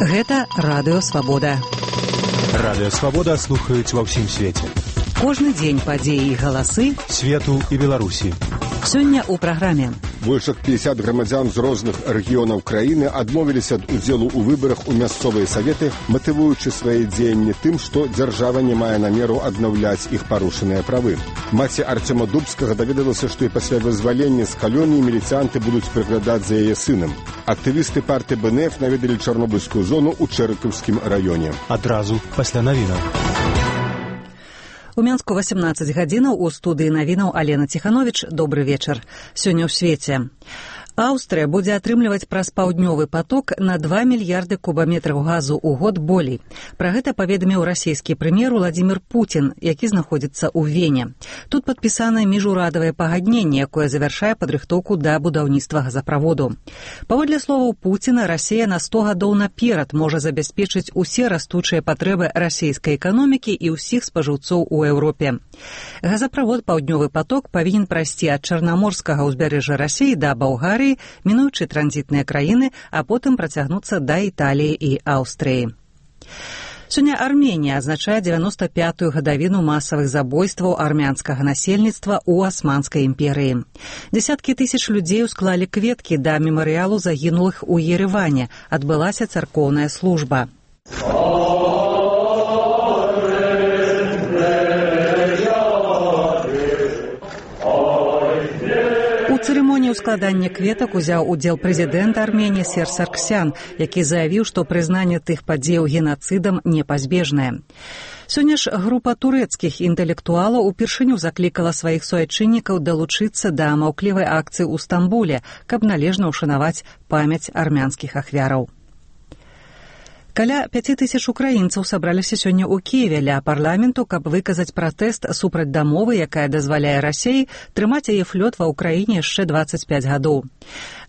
Гэта Радыё Свабода. Радыё Свабода слухаюць ва ўсім свеце. Кожны дзень падзеі і галасы свету і Беларусі. Сёння ў праграме. Больш як 50 грамадзян з розных рэгіёнаў краіны адмовіліся ад удзелу ў выбарах у мясцовыя саветы, матывуючы свае дзеянні тым, што дзяржава не мае намеру аднаўляць іх парушаныя правы. Маці Арцёма Дубскага даведалася, што і пасля вызвалення з калоніі міліцыянты будуць прыглядаць за яе сынам. Актывісты партыі БНФ наведалі Чарнобыльскую зону ў Чэрыкаўскім раёне. Адразу пасля навінаў. У Мінску 18 гадзінаў у студыі навінаў Алена Ціхановіч. Добры вечар. Сёння ў свеце. Аўстрыя будзе атрымліваць праз паўднёвы паток на 2 мільярды кубаметраў газу ў год болей. Пра гэта паведаміў расійскі прэм'ер Владзімір Пуцін, які знаходзіцца ў Вене. Тут падпісанае міжурадавае пагадненне, якое завяршае падрыхтоўку да будаўніцтва газаправоду. Паводле словаў Пуціна, Расія на 100 гадоў наперад можа забяспечыць усе растучыя патрэбы расійскай эканомікі і ўсіх спажыўцоў у Еўропе. Газаправод «Паўднёвы паток» павінен прайсці ад Чарнаморскага ўзбярэжжа Расіі да Балгарыі, мінуючы транзітныя краіны, а потым працягнуцца да Італіі і Аўстрыі. Сёння Арменія адзначае 95-ю гадавіну масавых забойстваў армянскага насельніцтва ў Асманскай імперыі. Дзесяткі тысяч людзей усклалі кветкі да мемарыялу загінулых у Ереване. Адбылася царкоўная служба. У цырымоніі складання кветак узяў удзел прэзідэнт Арменіі Серж Сарксян, які заявіў, што прызнанне тых падзеяў генацыдам непазбежнае. Сёння ж група турэцкіх інтэлектуалаў упершыню заклікала сваіх суайчыннікаў далучыцца да маўклівай акцыі ў Стамбуле, каб належна ўшанаваць памяць армянскіх ахвяраў. Каля 5000 украінцаў сабраліся сёння ў Кіеве ля парламенту, каб выказаць пратэст супраць дамовы, якая дазваляе Расіі трымаць яе флёт ва ўкраіне яшчэ 25 гадоў.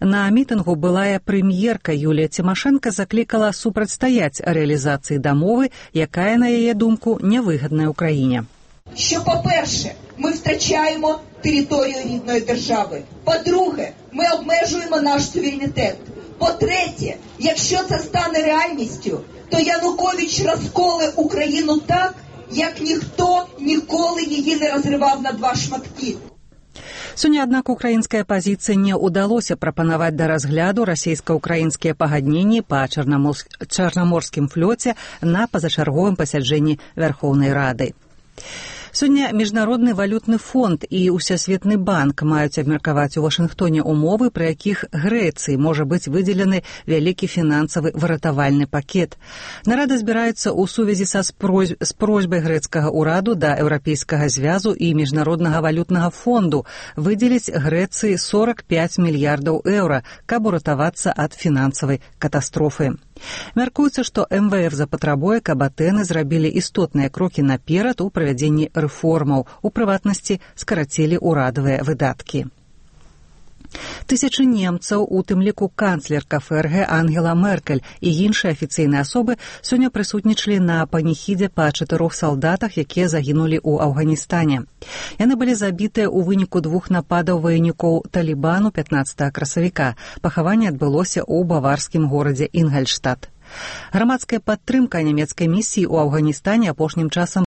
На мітынгу былая прэм'ерка Юлія Тимошенко заклікала супрацьстаяць рэалізацыі дамовы, якая, на яе думку, невигідна Україні. Що, по-перше, ми втрачаємо територію рідної держави. По-друге, ми обмежуємо наш суверенітет. По-третє, якщо це стане реальністю, то Янукович розколе Україну так, як ніхто ніколи її не розривав на два шматки. Сёння, аднак, украінскай апазіцыі не ўдалося прапанаваць да разгляду расійска-украінскія пагадненні па Чарнаморскім флёце на пазачарговым пасяджэнні Вярхоўнай Рады. Сёння Міжнародны валютны фонд і Усесветны банк маюць абмеркаваць у Вашынгтоне умовы, пры якіх Грэцыі можа быць выдзелены вялікі фінансавы выратавальны пакет. Нарада збіраецца ў сувязі з просьбай грэцкага ўраду да Еўрапейскага звязу і Міжнароднага валютнага фонду выдзеліць Грэцыі 45 мільярдаў еўра, каб уратавацца ад фінансавай катастрофы. Мяркуецца, што МВФ запатрабуе, каб Атэны зрабілі істотныя крокі наперад у правядзенні рэформаў, у прыватнасці скарацілі ўрадавыя выдаткі. Тысячы немцаў, у тым ліку канцлерка ФРГ Ангела Меркель і іншыя афіцыйныя асобы сёння прысутнічалі на паніхідзе па 4 салдатах, якія загінулі ў Афганістане. Яны былі забітыя ў выніку 2 нападаў ваеннікоў Талібану 15 красавіка. Пахаванне адбылося ў баварскім горадзе Інгальштадт. Грамадская падтрымка нямецкай місіі ў Афганістане апошнім часам